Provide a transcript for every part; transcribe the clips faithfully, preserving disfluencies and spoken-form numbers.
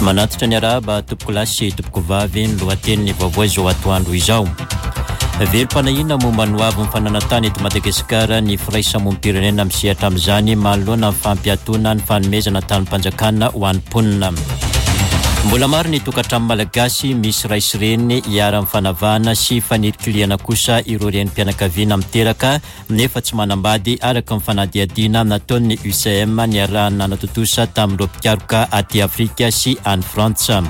Manatitra ny arahaba tompokolahy sy tompokovavy ny lohatenin'ny vaovao izao atoandro izao. Velom-panahiana momba ny hoavin'ny fananan-tany eto Madagasikara ny firaisamonim-pirenena misehatra amin'izany manoloana ny fampiatoana ny fanomezana tanim-panjakana ho an'ny mponina. Mbola maro ny tokantrano malagasy misy ray sy reny iharan'ny fanavahana sy fanilikilihana kosa ireo renim-pianakaviana miteraka nefa tsy manambady araka ny fanadihadiana nataon'ny U C M niarahana nanatontosa tamin'ireo mpikaroka aty Afrika sy any Frantsa.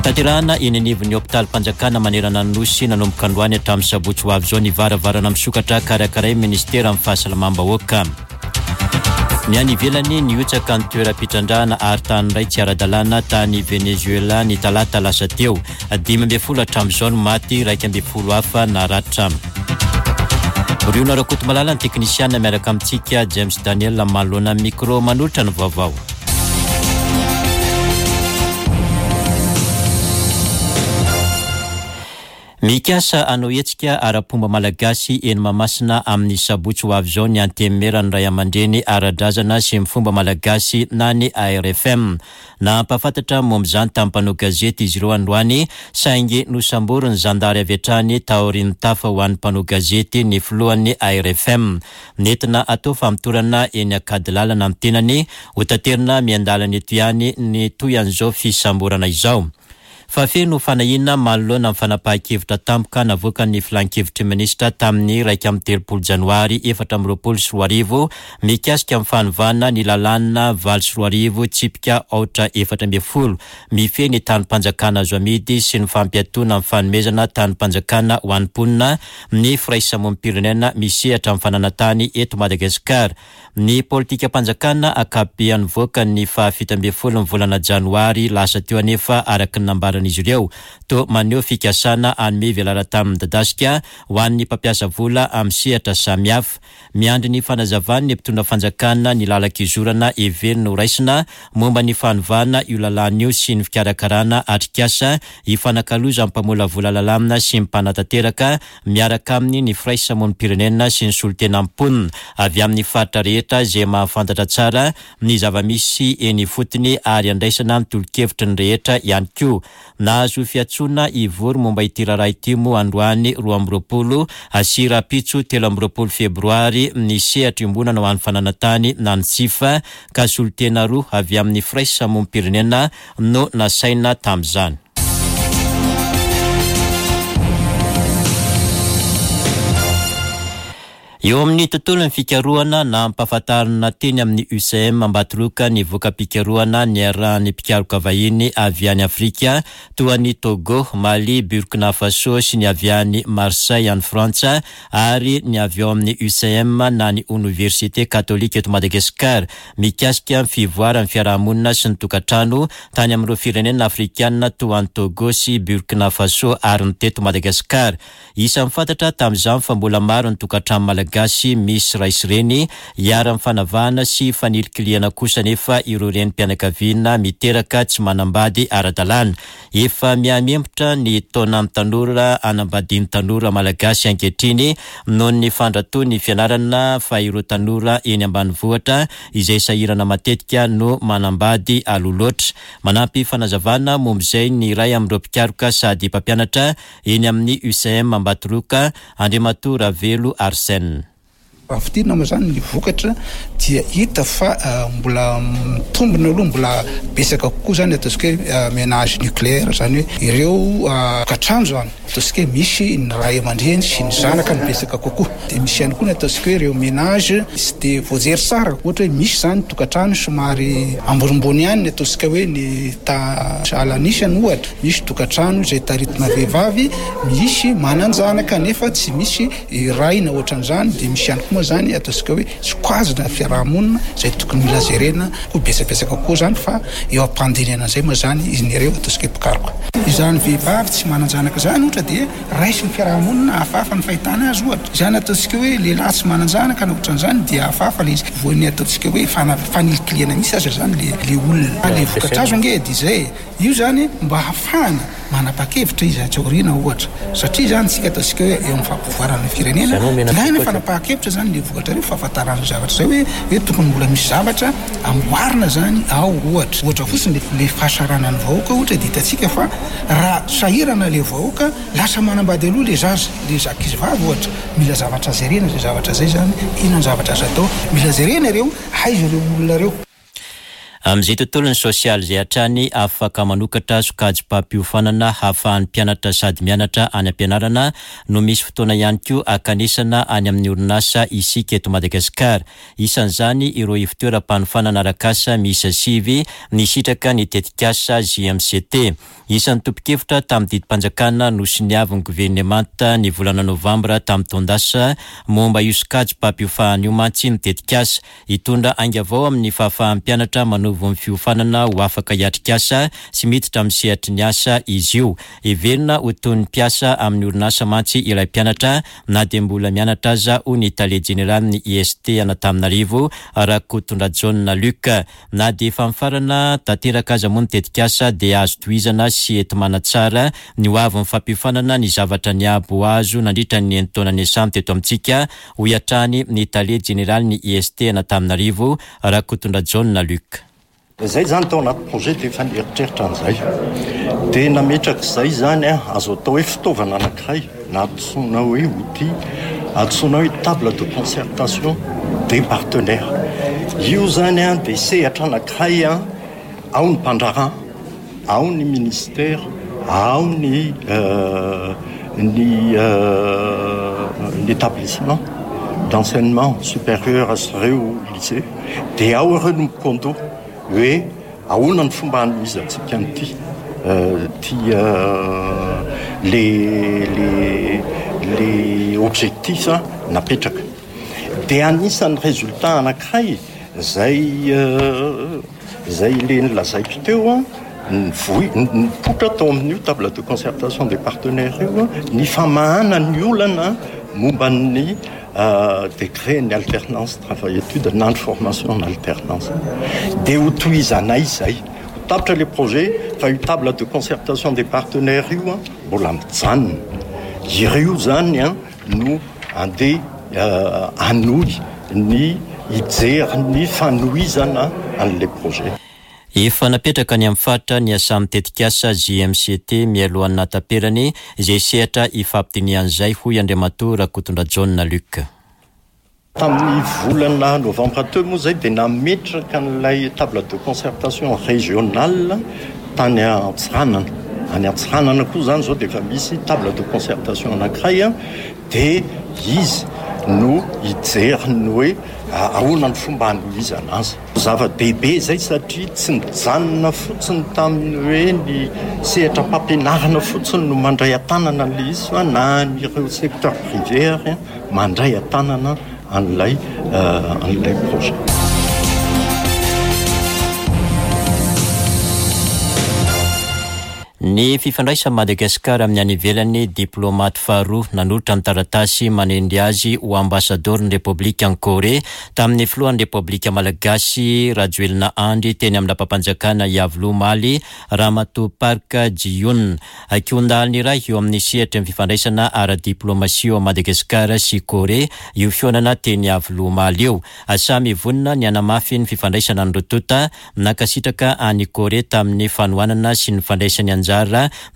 Tanterahana eny anivon'ny hopitalim-panjakana manerana ny Nosy nanomboka androany hatramin'ny sabotsy ho avy izao ny varavarana misokatra karakarain'ny ministeran'ny fahasalamam-bahoaka. Ny any ivelany nihotsaka ny toeram-pitrandrahana ary tany iray tsy ara-dalàna tany Venezuela ny talata lasa teo. Dimy ambin'ny folo hatramin'izao no maty, iraika ambin'ny folo hafa naratra. Riona Rakotomalala ny teknisiana miaraka amintsika James Daniel manoloana ny micro manolotra ny vaovao. Mikasa hanao hetsika ara-pomba malagasy eny Mahamasina amin'ny sabotsy ho avy izao ny antenimieran'ny ray aman-dreny ara-drazana sy ny fomba malagasy na ny A R F M. Nampahafantatra momba izany tamin'ny mpanao gazety izy ireo androany, saingy nosamborin'ny zandary avy hatrany taorian'ny tafa ho an'ny mpanao gazety ny filohan'ny A R F M. Nentina atao famotorana eny Ankadilalana ny tenany, hotaterina miandalana eto ihany ny toy an'izao fisamborana izao. Fa feno fanahiana manoloana ny fanapahan-kevitra tampoka navoakan'ny filankevitry ny minisitra tamin'ny iraika amby telopolo janoary efatra amby roapolo sy roa arivo mikasika ny fanovana ny lalàna valo sy roa arivo tsipika aotra efatra ambin'ny folo mifehy ny tanim-panjakana azo amidy sy ny fampiatoana ny fanomezana tanim-panjakana ho an'ny mponina ny firaisamonim-pirenena misehatra amin'ny fananan-tany eto Madagasikara. Ny politikam-panjakana ankapobeany nivoaka ny fahafito ambin'ny folo ny volana janoary lasa teo anefa araka ny nambaran'izy ireo to maneho fikasana hanome velaran-tany midadasika ho an'ny mpampiasa vola amin'ny sehatra samihafa. Miandry ny fanazavan'ny mpitondra fanjakana ny lalan-kizorana heverina ho raisina momba ny fanovana io lalàna io sy ny fikarakarana atrikasa ifanakalozan'ny mpamolavola lalàna sy ny mpanatanteraka miaraka aminy ny firaisamonim-pirenena sy ny solontenan'ny mponina avy amin'ny faritra rehetra izay mahafantatra tsara ny zava-misy eny ifotony ary andraisana ny tolo-kevitry ny rehetra ihany koa. Nahazo fiantsoana hivory momba ity raharaha ity moa androany roa amby roapolo sy rahampitso telo amby roapolo febroary ny sehatra iombonana ho an'ny fananan-tany na ny S I F ka solontena roa avy amin'ny firaisamonim-pirenena no nasaina tamin'izany. Eo amin'ny tontolon'ny fikarohana nampahafantarina teny amin'ny U C M Ambatoroka ny voka-pikarohana niarahan'ny mpikaroka vahiny avy any Afrika toa an'i Togo, Mali, Burkina Faso sy ny avy any Marseille any Frantsa ary ny avy ao amin'ny U C M na ny Oniversite Katolika eto Madagasikara mikasika ny fivoaran'ny fiarahamonina sy ny tokantrano tany amin'ireo firenena afrikanina toa an'i Togo sy Burkina Faso ary ny teto Madagasikara. Isan'ny fantatra tamin'izany fa mbola maro ny tokantrano malagasy misy ray sy reny iharan'ny fanavahana sy fanilikilihana kosa nefa ireo renim-pianakaviana miteraka tsy manambady ara-dalàna. Efa mihamihembotra ny taonan'ny tanora anambadian'ny tanora malagasy ankehitriny noho ny fandratoan'ny fianarana fa ireo tanora eny ambanivohitra izay sahirana matetika no manambady aloha loatra. Manampy fanazavana momba izay ny iray amin'ireo mpikaroka sady mpampianatra eny amin'ny U C M Ambatoroka, Andriamatoa Ravelo Arsène. Raha fintinina moa izany ny vokatra dia hita fa, eh, mbola mitombina aloha, mbola betsaka kokoa izany ataontsika hoe, eh, ménage nucléaire, izany hoe ireo, eh, tokantrano izany ataontsika hoe misy ny ray aman-dreny sy ny zanaka no betsaka kokoa. Dia misy ihany koa ny ataontsika hoe ireo ménage tsy dia voajery tsara, ohatra hoe misy izany tokantrano somary ambonimbony ihany ny ataontsika hoe ny ta-, sahalan'isany ohatra, misy tokantrano izay taritina vehivavy, misy manan-janaka nefa tsy misy ray na ohatran'izany, dia misy ihany koa moa izany ataontsika hoe sokajina fiarahamonina izay tokony mila jerena koa betsabetsaka kokoa izany, fa eo am-pandinihana an'izay moa izany izy ireo ataontsika hoe mpikaroka. Izany vehivavy tsy manan-janaka izany ohatra dia raisin'ny fiarahamonina hafahafa ny fahitana azy ohatra. Izany ataontsika hoe lehilahy tsy manan-janaka na ohatran'izany dia hafahafa ilay izy. Voan'ny ataontsika hoe fana-, fanilikilihana mihitsy aza izany le, le olona. Le vokatra azo ange dia izay. Io izany mba hahafahana Manapa-kevitra izy atsy aoriana ohatra, satria zany tsika ataontsika hoe eo amin'ny fampivoarana firenena ilaina fanapahan-kevitra zany le vokatra reo, fahafantarana zavatra zay hoe hoe tokony mbola misy zavatra amboarina zany ao. Ohatra ohatra fotsiny le fahasaranan'ny vahoaka ohatra, de hitantsika fa raha sahirana le vahoaka lasa manambady aloha le zaza, le ankizy vavy ohatra. Mila zavatra jerena zay zavatra zay zany, inona ny zavatra azo atao, mila jerena ireo, aiza ireo olona ireo. Amin'izay tontolon'ny sosialy izay hatrany, afaka manokatra sokajim-pampiofanana hahafahan'ny mpianatra sady mianatra any am-pianarana no misy fotoana ihany koa akanesana any amin'ny orinasa isika eto Madagasikara. Isan'izany ireo ivotoeram-panofanana arak'asa miisa sivy nisitraka ny tetikasa J M C T. Isan'ny tompon-kevitra tamin'ny didim-panjakana nosoniavin'ny governemanta ny volana novambra tamin'ny taon-dasa momba io sokajim-pampiofanana io mantsy ny tetikasa. Hitondra ainga vao amin'ny fahafahan'ny mpianatra manovo ny fiofanana ho afaka hiatrikasa sy miditra amin'ny sehatry ny asa izy io. Heverina ho toy ny mpiasa amin'ny orinasa mantsy ilay mpianatra na dia mbola mianatra aza, hoy ny tale jeneralin'ny I S T Antananarivo, Rakotondrajaona Luc. Na dia efa mifarana tanteraka aza moa ny tetikasa dia azo tohizana sy enti-manatsara ny ho avin'ny fampiofanana ny zavatra niabo azo nandritra ny enin-taona niasany teto amintsika, hoy hatrany ny tale jeneralin'ny I S T Antananarivo, Rakotondrajaona Luc. Zay zany tao anaty projet dia efa nieritreritra an'izay. Dia nametraka izay zany a, azo atao hoe fitaovana anankiray na antsoina hoe outil, antsoina hoe table de concertation des partenaires. Io zany a dia sehatra anankiray a, ao ny mpandraharaha, ao ny ministère, ao ny, euh, ny, euh, ny établissement d'enseignement supérieur sy ireo lycée, dia ao ireo no mikondo hoe ahoana ny fomba hanomezantsika an'ity, euh, ty, euh, le, le, le objectif napetraka. Dia anisan'ny résultat anankiray zay, euh, zay le nolazaiko teo a, ny voy-, ny nipoitra tao amin'io table de concertation des partenaires io a, ny famahana ny olana momba ny, euh, décret ny alternance travail étude na ny formation en alternance. Dia ho tohizanay izay. Ho tapitra le projet fa io table de concertation des partenaires io a, mbola mijanona. Ireo zany a no andeha, euh, hanohy ny hijery ny fanohizana an'ilay projet. Efa napetraka ny amin'ny faritra ny asan'ny tetikasa J M C T mialohan'ny nataperany izay sehatra ifampidinihan'izay, hoy Andriamatoa Rakotondrajaona Luc. Tamin'ny volana novambra teo moa izay dia nametraka an'ilay table de concertation régionale tany Antsiranana. Any Antsiranana koa zany zao dia efa misy table de concertation anankiray a, dia izy no hijery ny hoe ahoana ny fomba hanohizana azy. Zava-dehibe izay satria tsy nijanona fotsiny tamin'ny hoe ny sehatra mpampianarana fotsiny no mandray an-tanana an'ilay izy fa na ireo secteur privé ary mandray an-tanana an'ilay, euh, an'ilay projet. Ny fifandraisan'i Madagasikara amin'ny any ivelany, diplômaty faharoa nanolotra ny taratasy manendry azy ho ambasadaoron'ny Repoblikan'i Korea tamin'ny filohan'ny Repoblika Malagasy Rajoelina Andry teny amin'ny lapam-panjakana Iavoloha omaly, Ramatoa Park Ji-yoon. Ankiondalina iray eo amin'ny sehatry ny fifandraisana ara-diplômasia eo Madagasikara sy Korea io fihaonana teny Iavoloha omaly io. Samy vonona ny hanamafy ny fifandraisana ny roa tonta, nankasitraka an'i Korea tamin'ny fanohanana sy ny fandraisany anjara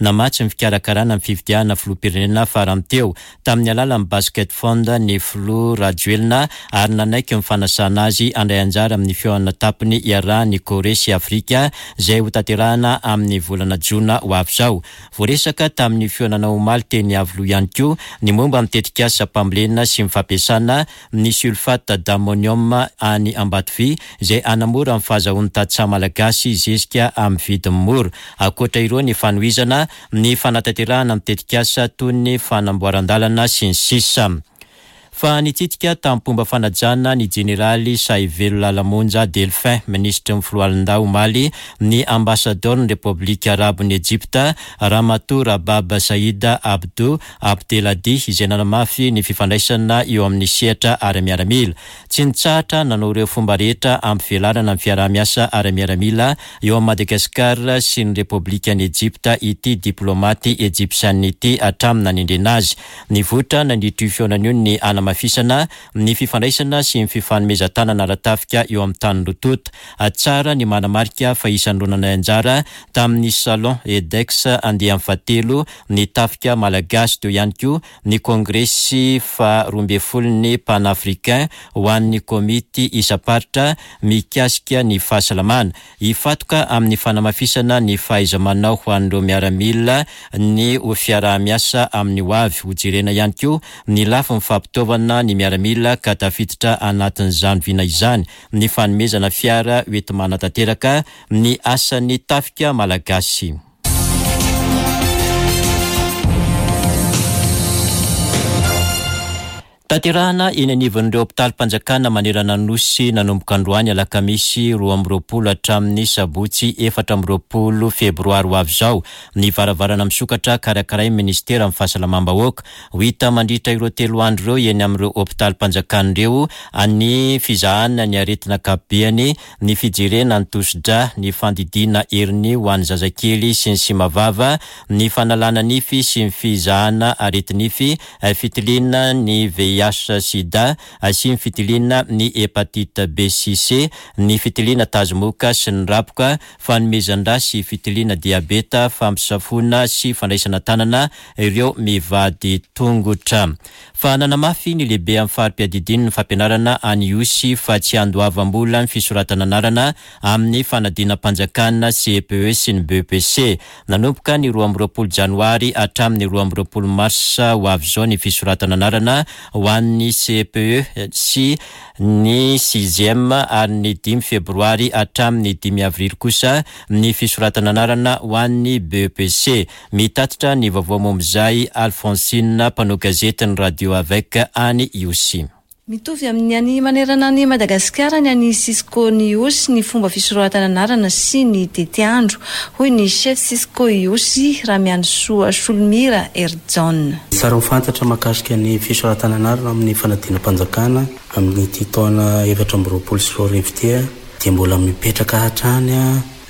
namatsy ny fikarakarana ny fifidianana filoham-pirenena farany teo tamin'ny alalan'ny Basket Fund ny filoha Rajoelina ary nanaiky ny fanasana azy handray anjara amin'ny fihaonana tampony iarahan'i Korea sy Afrika izay hotanterahana amin'ny volana jona ho avy izao. Voaresaka tamin'ny fihaonana omaly teny Iavoloha ihany koa ny momba ny tetikasa mpambolena sy ny fampiasana ny sulfate d'ammonium any Ambatovy izay hanamora ny fahazahoan'ny tantsaha malagasy zezika amin'ny vidiny mora. Ankoatra ireo ny fanohizana ny fanatanterahana ny tetikasa toy ny fanamboaran-dalana sy ny sisa. Fa nitsidika tamin'ny fanajana ny jeneraly Sahivelo Lala Monja Delphin, minisitry ny foloalindahy omaly, ny ambasadaoron'ny Repoblika Arabon'i Ejipta, Ramatoa Rabab Saida Abdou Abdelhadi, izay nanamafy ny fifandraisana eo amin'ny sehatra ara-miaramila. Tsy nitsahatra nanao ireo fomba rehetra ampivelarana ny fiaraha-miasa ara-miaramila eo amin'ny Madagasikara sy ny Repoblikan'i Ejipta ity diplomaty ejipsianina ity hatramin'ny nanendrena azy. Nivoitra nandritra io fihaonana io ny anamafisana ny fifandraisana sy ny fifanomezan-tanana ara-tafika eo amin'ny tany roa tonta. Tsara ny manamarika fa isan'ny roa nandray anjara tamin'ny salon EDEX andiany fahatelo ny tafika malagasy, teo ihany koa ny kongresy faharoa ambin'ny folon'ny panafricain ho an'ny komity isam-paritra mikasika ny fahasalamana. Hifatoka amin'ny fanamafisana ny fahaiza-manao ho an'ireo miaramila ny ho fiaraha-miasa amin'ny ho avy. Hojerena ihany koa ny lafiny fampitaovana ny miaramila ka tafiditra anatin'izany vina izany ny fanomezana fiara hoenti-manatanteraka ny asan'ny tafika malagasy. Tanterahana eny anivon'ireo hopitalim-panjakana manerana ny Nosy nanomboka androany alakamisy roa amby roapolo hatramin'ny sabotsy efatra amby roapolo febroary ho avy izao ny varavarana misokatra karakarain'ny ministeran'ny fahasalamam-bahoaka. Ho hita mandritra ireo telo andro ireo eny amin'ireo hopitalim-panjakana ireo ny fizahana ny aretina ankapobeny, ny fijerena ny tosidra, ny fandidiana heriny ho an'ny zazakely sy ny simavava, ny fanalana nify sy ny fizahana aretinify, fitiliana ny V I H sida, sy ny fitiliana ny hepatite B sy C, ny fitiliana tazomoka sy ny raboka, fanomezan-drà sy fitiliana diabeta, fampisafoana sy fandraisana tanana ireo mivady tongotra. Fa nanamafy ny lehibe amin'ny fari-piadidian'ny fampianarana any Ihosy fa tsy andoavam-bola ny fisoratana anarana amin'ny fanadinam-panjakana C E P E sy ny B P C. Nanomboka ny roa amby roapolo janoary hatramin'ny roa amby roapolo marsa ho avy izao ny fisoratana anarana ho an'ny C E P E sy ny sixième ary ny dimy febroary hatramin'ny dimy avrily kosa ny fisoratana anarana ho an'ny B P C. Mitatitra ny vaovao momba izay Alphonsine, mpanao gazety ny radio avec any Ihosy. Mitovy amin'ny any manerana ny Madagasikara ny any Cisco Ihosy ny fomba fisoratana anarana sy ny tetiandro, hoy ny chef Cisco Ihosy Ramiandrisoa Solomira Herjaona. Tsara ho fantatra mahakasika ny fisoratana anarana amin'ny fanadinam-panjakana amin'ity taona efatra amby roapolo sy roa arivo ity dia mbola mipetraka hatrany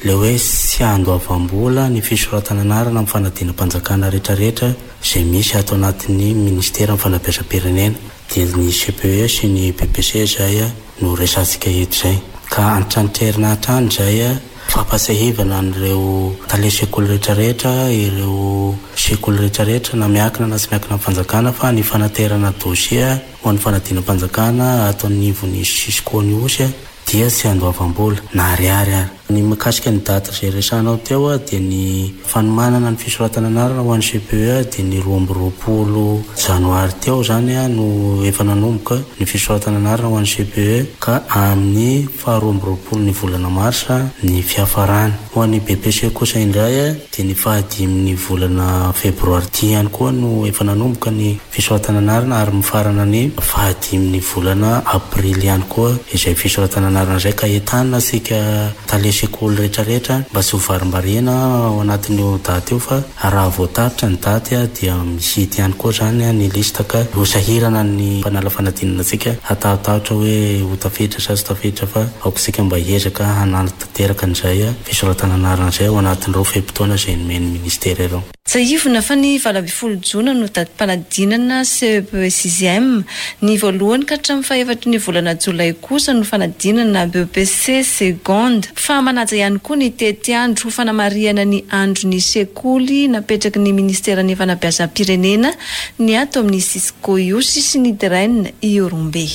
le hoe tsy andoavam-bola ny fisoratana anarana amin'ny fanadinam-panjakana rehetrarehetra izay misy ato anatin'ny ministeran'ny fanabeazam-pirenena. Dia ny C P E sy ny B P C izay no resatsika eto izay. Ka antrantrerina hatrany izay fampahatsiahivana an'ireo tale sekoly rehetrarehetra, ireo sekoly rehetrarehetra na miankina na tsy miankina amin'ny fanjakana fa ny fanaterana dossier ho an'ny fanadinam-panjakana ato anivon'ny Cisco Ihosy dia tsy andoavam-bola na ariary ary. Ny mikasika ny daty izay resahanao teo dia ny fanomanana ny fisoratana anarana ho an'ny C P E dia ny roa amby roapolo janoary teo zany no efa nanomboka ny fisoratana anarana ho an'ny C P E ka amin'ny faharoa amby roapolo ny volana marsa ny fiafarany. Ho an'ny B P C kosa indray dia ny fahadimy ny volana febroary ity ihany koa no efa nanomboka ny fisoratana anarana ary mifarana ny fahadimy ny volana aprily ihany koa izay fisoratana anarana izay. Ka entanina isika tale sekoly rehetrarehetra mba tsy ho varimbariana ao anatin'io daty io fa raha voataritra ny daty dia mihidy ihany koa zany ny lista ka ho sahirana ny mpanala fanadinana antsika hatahotahotra hoe ho tafiditra sa tsy tafiditra fa aoka isika mba hiezaka hanantanteraka an'izay fisoratana anarana izay ao anatin'ireo fe-potoana izay nomen'ny ministera ireo. Tsiahivina fa ny valo ambin'ny folo jona no datim-panadinana C E P E sixième, ny voalohany ka hatramin'ny fahefatry ny volana jolay kosa no fanadinana B P C seconde. Fa manaja ihany koa ny tetiandro ho fanamarihana ny andron'ny sekoly napetraky ny ministeran'ny fanabeazam-pirenena ny ato amin'ny Cisco Ihosy sy ny D R E N Ihorombe.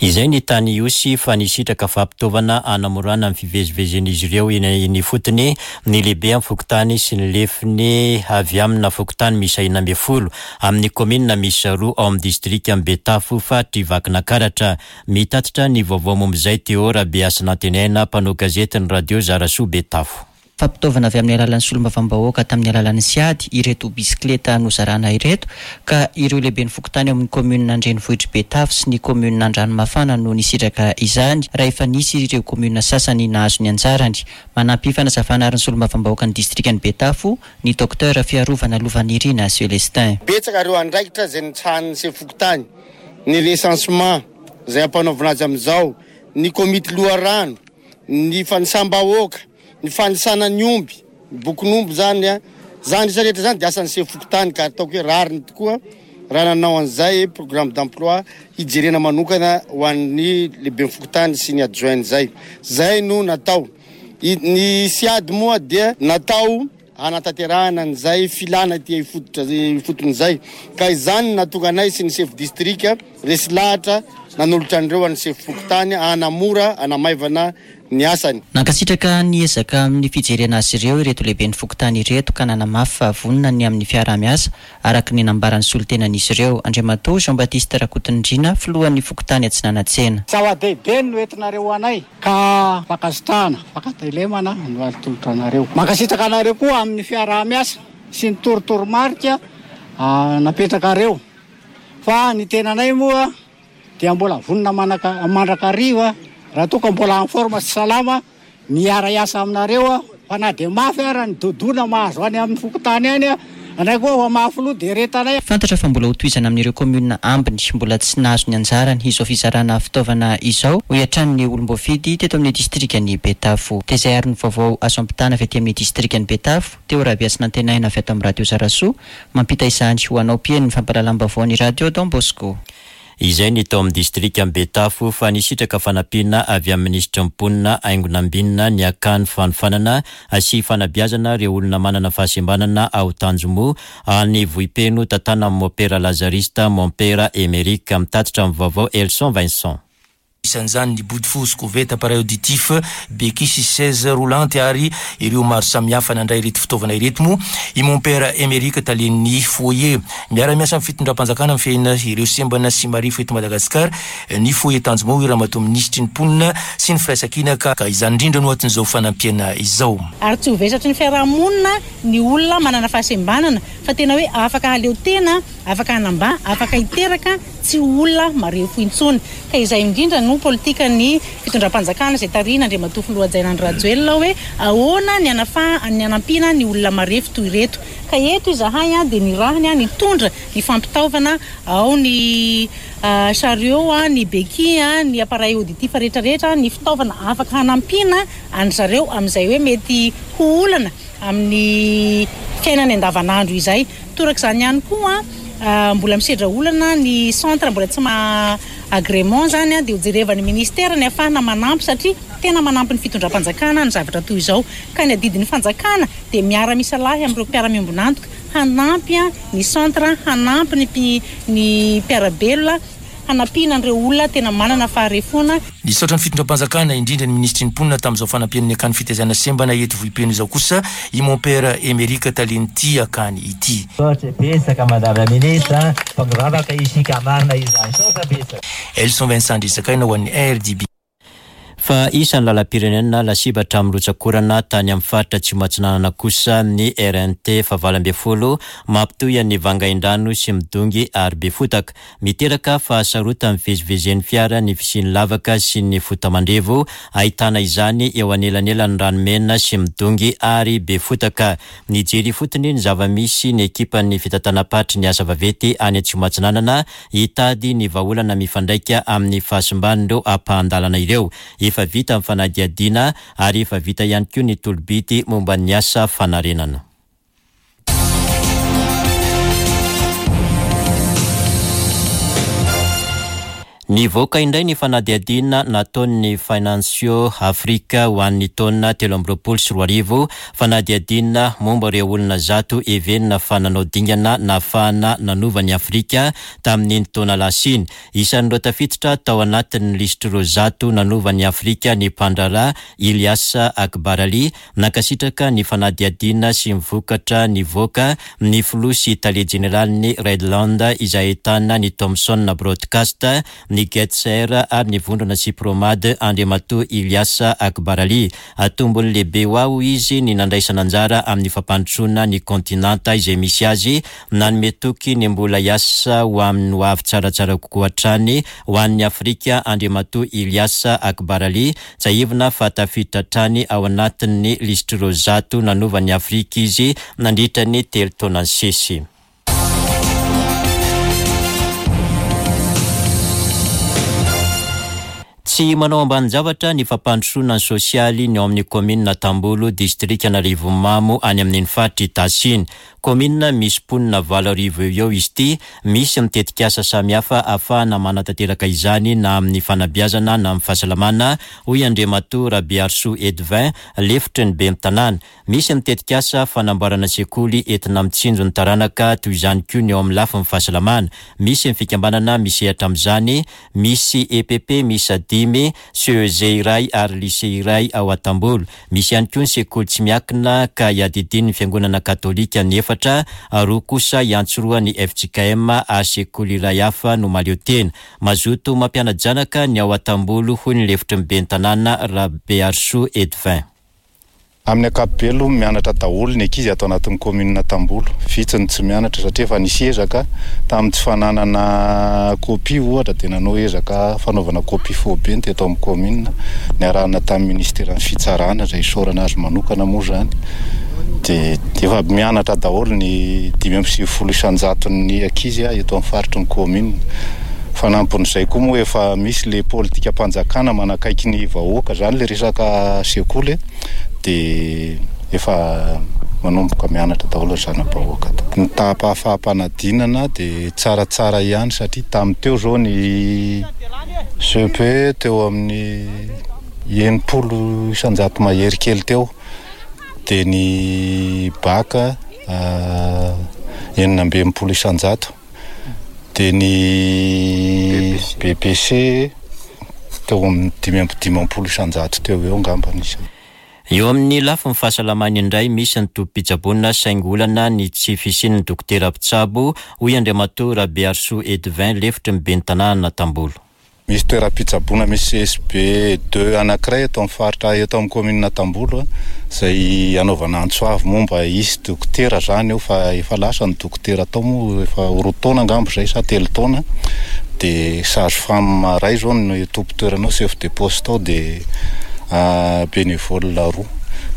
Izay ny tany Ihosy fa nisitraka fampitaovana hanamorana ny fivezivezen'izy ireo eny eny ifotony ny lehibe amin'ny fokontany sy ny lefiny avy amina fokontany miisa enina ambin'ny folo amin'ny kaominina miisa roa ao amin'ny distrika Betafo faritry Vakinankaratra. Mitatitra ny vaovao momba izay Théo Rabeasinantenaina, mpanao gazety ny radio Zarasoa Betafo. Fampitaovana avy amin'ny alalan'ny solombavambahoaka tamin'ny alalan'ny SIAD ireto bisikileta nozarana ireto, ka ireo lehiben'ny fokontany ao amin'ny commune Andrenivohitr'i Betafo sy ny commune Andranomafana no nisitraka izany, raha efa nisy ireo commune sasany nahazo ny anjarany. Manampy fanazavana ary ny solombavambahoaka ny distrikan'i Betafo, ny docteur Fiarovana Lovanirina Célestin. Betsaka ireo andraikitra izay nitsahan'ny sefo fokontany, ny recensement izay ampanaovina azy amin'izao, ny komity loharano, ny fanisam-bahoaka, ny fanisana ny omby, ny bokin'omby zany a, zany isa rehetra zany dia asan'ny sefo fokontany, ka ataoko hoe rariny tokoa raha nanao an'izay programme d'emploi hijerena manokana ho an'ny lehiben'ny fokontany sy ny adjoint zay. Zay no natao. I-, ny SIAD moa dia natao hanatanterahana an'izay filana ety ifototra, ifotony zay. Ka izany nahatonga anay sy ny chef district resy lahatra nanolotra an'ireo an'ny sefo fokontany hanamora, hanamaivana ny asany. Nankasitraka ny ezaka amin'ny fijerena azy ireo ireto lehiben'ny fokontany ireto, ka nanamafy fa vonona ny amin'ny fiaraha-miasa araka ny nambaran'ny solontenan'izy ireo. Andriamatoa Jean Baptiste Rakotonindrina, filohan'ny fokontany Atsinanantsena. Zava-dehibe no entinareo anay, ka fankasitrahana, fankatelemana no atolotra anareo. Mankasitraka anareo koa amin'ny fiaraha-miasa sy ny torotoromarika, ah, napetrakareo. Fa ny tenanay moa dia mbola vonona manaka-, mandrakariva raha toa ka mbola en forme sy salama miara-hiasa aminareo, fa na dia mafy ara ny dodona mahazo any amin'ny fokontany any, anay koa fa mafy loha dia retanay. Fantatra fa mbola hotohizana amin'ireo commune ambiny mbola tsy nahazo ny anjarany izao fizarana fitaovana izao, hoy hatrany ny olom-boafidy teto amin'ny distrikan'i Betafo. Dia izay ary ny vaovao azo ampitana avy aty amin'ny distrikan'i Betafo. Teo Rabiasy Nantenaina avy ato amin'ny Radio Zarasoa, mampita izany ho anao mpihaino ny fampahalalam-baovao ny Radio Don Bosco. Izay ny tao amin'ny distrikan'i Betafo, fa nisitraka fanampiana avy amin'ny minisitry ny mponina Haingo Nambinina ny akany fanofanana sy fanabeazana ireo olona manana fahasembanana ao Tanjomo any Vohipeno, tantanan'ny Mompera Lazarista Mompera Emeric. Mitatitra amin'ny vaovao Elson Vincent. Isan'izany ny bodofotsy, koveta, appareil auditif, béquille sy chaise roulante ary ireo maro samihafa nandray ireto fitaovana ireto moa. I Mompera Emeric, talen'ny foyer, miara-miasa amin'ny fitondram-panjakana mifehina ireo sembana sy marefo eto Madagasikara, ny foyer Tanjomo, ramatoa minisitry ny mponina sy ny firaisankina, ka, ka izany indrindra no atin'izao fanampiana izao. Ary tsy ho vesatry ny fiarahamonina ny olona manana fahasembanana, fa tena hoe afaka haleo tena, afaka hanamba, afaka hiteraka, tsy ho olona marefo intsony. Ka izay indrindra no politika ny fitondram-panjakana izay tarihina Andriamatoa Filoha Hajaina Andry Rajoelina hoe ahoana ny anafa-, ny hanampiana ny olona marefo toy ireto. Ka eto izahay a, dia nirahiny a, nitondra ny fampitaovana ao ny, ah, chariot a, ny béquille a, ny appareil auditif rehetrarehetra, ny fitaovana afaka hanampiana an-dry zareo amin'izay hoe mety ho olana amin'ny fiainany andavanandro izay. Torak'izany ihany koa, ah, mbola misedra olana ny centre mbola tsy ma agrément zany a, dia hojerevan'ny ministère ny ahafahana manampy, satria tena manampy ny fitondram-panjakana ny zavatra toy izao. Ka ny adidin'ny fanjakana dia miara-misalahy amin'ireo mpiara-miombon'antoka hanampy a, ny centre, hanampy ny mpi-, ny mpiara-belona, hanampiana an'ireo olona tena manana faharefoana. Nisaotra ny fitondram-panjakana indrindra ny minisitry ny mponina tamin'izao fanampian'ny akany fitaizana sembana eto Vohipeno izao kosa i Mompera Emeric talen'ity akany ity. Misaotra betsaka madame la ministre, fa mivavaka isika marina izany. Misaotra betsaka. Elson Vincent Andrisakaina ho an'ny R D B. Fa isan'ny lalam-pirenena lasibatra amin'ny rotsakorana tany amin'ny faritra Atsimo Atsinanana kosa ny R N T fahavalo ambin'ny folo mampitohy an'ny Vangaindrano sy Midongy ary Befotaka. Miteraka fahasarotan'ny fivezivezen'ny fiara ny fisian'ny lavaka sy ny fotamandrevo, ahitana izany eo anelanelan'ny Ranomena sy Midongy ary Befotaka. Nijery ifotony ny zava-misy ny ekipan'ny fitantanam-paritry ny asa vaventy any Atsimo Atsinanana hitady ny vahaolana mifandraika amin'ny fahasimban'ireo ampahan-dalana ireo. Efa vita ny fanadihadiana ary efa vita ihany koa ny tolobidy momba ny asa fanarenana. Nivoaka indray ny fanadihadiana nataon'ny Financial Africa ho an'ny taona telo amby roapolo sy roa arivo, fanadihadiana momba ireo olona zato heverina fa nanao dingana nahafahana nanova ny Afrika tamin'iny taona lasa iny. Isan'ireo tafiditra tao anatin'ny lisitr'ireo zato nanova ny Afrika ny mpandraharaha Ilias Akbarali. Nankasitraka ny fanadihadiana sy ny vokatra nivoaka ny filoha sy tale jeneralin'ny Redland izay ahitana ny Thomson Broadcast, ny Getser ary ny vondrona Sipromad Andriamatoa Ilias Akbarali. Tombony lehibe ho aho izy ny nandraisana anjara amin'ny fampandrosoana ny kontinanta izay misy azy, nanome toky ny mbola hiasa ho amin'ny ho avy tsaratsara kokoa hatrany ho an'ny Afrika Andriamatoa Ilias Akbarali. Tsiahivina fa tafiditra hatrany ao anatin'ny lisitr'ireo zato nanova ny Afrika izy nandritra ny telo taona nisesy. Tsy manao ambanin-javatra ny fampandrosoana ny sosialy ny ao amin'ny kaominina Tambolo, distrikan'Arivonimamo, any amin'iny faritra Itasy iny. Kaominina misy mponina valo arivo eo eo izy ity, misy ny tetikasa samihafa ahafahana manatanteraka izany na amin'ny fanabeazana na amin'ny fahasalamana, hoy Andriamatoa Rabearisoa Edvin, lefitry ny ben'ny tanàna. Misy ny tetikasa fanamboarana sekoly entina mitsinjo ny taranaka, toy izany koa ny eo amin'ny lafiny fahasalamana. Misy ny fikambanana misehatra amin'izany, misy E P P miisa dimy, C E G iray ary lycée iray ao Atambolo. Misy ihany koa ny sekoly tsy miankina ka iadidian'ny fiangonana katolika ny efatra, roa kosa iantsoroa ny F J K M ary sekoly iray hafa no mahaleo tena. Mazoto mampiana-janaka ny ao Atambolo, hoy ny lefitry ny ben'ny tanàna Rabearisoa Edvin. Amin'ny ankapobeny aloha mianatra daholo ny ankizy ato anatin'ny kaominina Tambolo. Vitsy ny tsy mianatra satria efa nisy ezaka tamin'ny tsy fananana kopia ohatra, dia nanao ezaka fanaovana kopia faobe ny teto amin'ny kaominina, niarahana tamin'ny ministeran'ny fitsarana izay isaorana azy manokana moa izany. Dia efa mianatra daholo ny dimy amby sivifolo isan-jaton'ny ankizy eto amin'ny faritry ny kaominina. Fanampin'izay koa moa efa misy le politikam-panjakana manakaiky ny vahoaka izany le resaka sekoly, dia efa manomboka mianatra daholo ny zana-bahoaka. Ny taham-pahafaham-panadinana dia tsaratsara ihany satria tamin'ny teo izao ny C P teo amin'ny enimpolo isan-jato mahery kely teo, dia ny bac enina amby enimpolo isan-jato, dia ny B P C teo amin'ny dimy amby dimampolo isan-jato teo eo angamba ny isany. Eo amin'ny lafiny fahasalamana indray, misy ny tobim-pitsaboana saingy olana ny tsy fisian'ny dokotera mpitsabo, hoy Andriamatoa Rabearisoa Edvin, lefitry ny ben'ny tanàna Tambolo. Misy toeram-pitsaboana misy C S B deux anankiray eto amin'ny faritra eto amin'ny kaominina Tambolo, izay anaovana antso avo momba hisy dokotera izany eo, fa efa lasa ny dokotera tao moa efa roa taona angamba izay sa telo taona, dia sage femme iray izao no tompon-toerana ao, chef de poste ao, dia bénévole roa.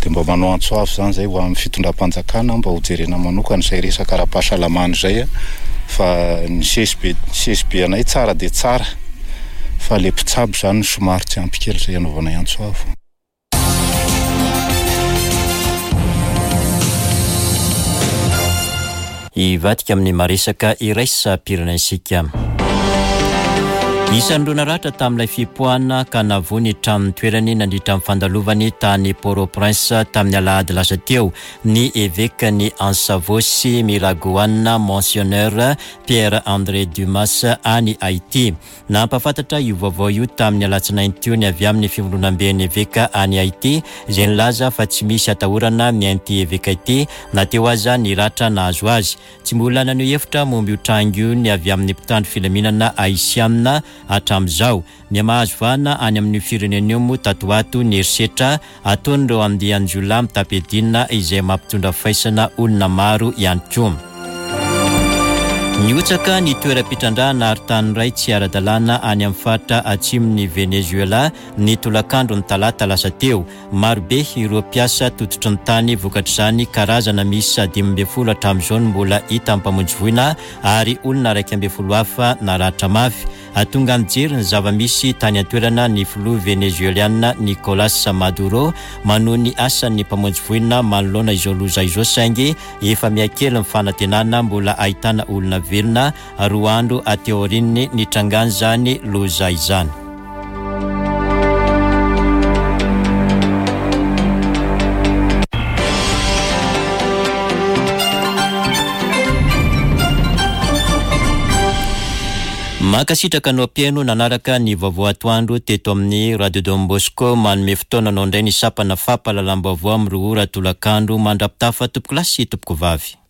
Dia mba manao antso avo izany izay ho amin'ny fitondram-panjakana mba hojerena manokana izay resaka ara-pahasalamana izay, fa ny C S B, C S B anay tsara dia tsara, fa le mpitsabo izany no somary tsy ampy kely izay anaovana antso avo. Hivadika amin'ny maresaka iraisam-pirenentsika. Isan'ireo naratra tamin'ilay fipoahana ka navoa ny tranon'ny toerany nandritra ny fandalovany tany Port-au-Prince tamin'ny alahady lasa teo ny evekan'i Ansavo sy Miragoana Monseigneur Pierre-André Dumas any Haïti. Nampahafantatra io vaovao io tamin'ny alatsinainy teo ny avy amin'ny fivondronamben'ny eveka any Haïti, izay nilaza fa tsy misy atahorana ny ain'ity eveka ity na teo aza ny ratra nahazo azy. Tsy mbola naneho hevitra momba io tranga io ny avy amin'ny mpitandro filaminana haisianina hatramin'izao. Mihamahazo vahana any amin'io firenena io moa tato ho ato ny herisetra ataon'ireo andian-jiolahy mitapedina izay mampitondra faisana olona maro ihany koa. Nihotsaka ny toeram-pitrandrahana ary tany iray tsy ara-dalàna any amin'ny faritra atsimon'i Venezuela ny tolakandro ny talata lasa teo. Marobe ireo mpiasa tototry ny tany vokatr'izany, karazana miisa dimy ambin'ny folo hatramin'izao no mbola hita mpamonjy voina ary olona iraika ambin'ny folo hafa naratra mafy. Tonga nijery ny zava-misy tany an-toerana ny filoha venezueliana Nicolas Maduro manohy ny asan'ny mpamonjy voina manoloana izao loza izao, saingy efa mihakely ny fanantenana mbola ahitana olona velona roa andro aty aorian'ny nitrangan'izany loza izany. Mankasitraka anao mpihaino nanaraka ny vaovao atoandro teto amin'ny Radio Don Bosco. Manome fotoana anao indray ny sampana fampahalalam-baovao amin'ny roa ora tolakandro. Mandra-pitafa tompoko lahy sy tompoko vavy.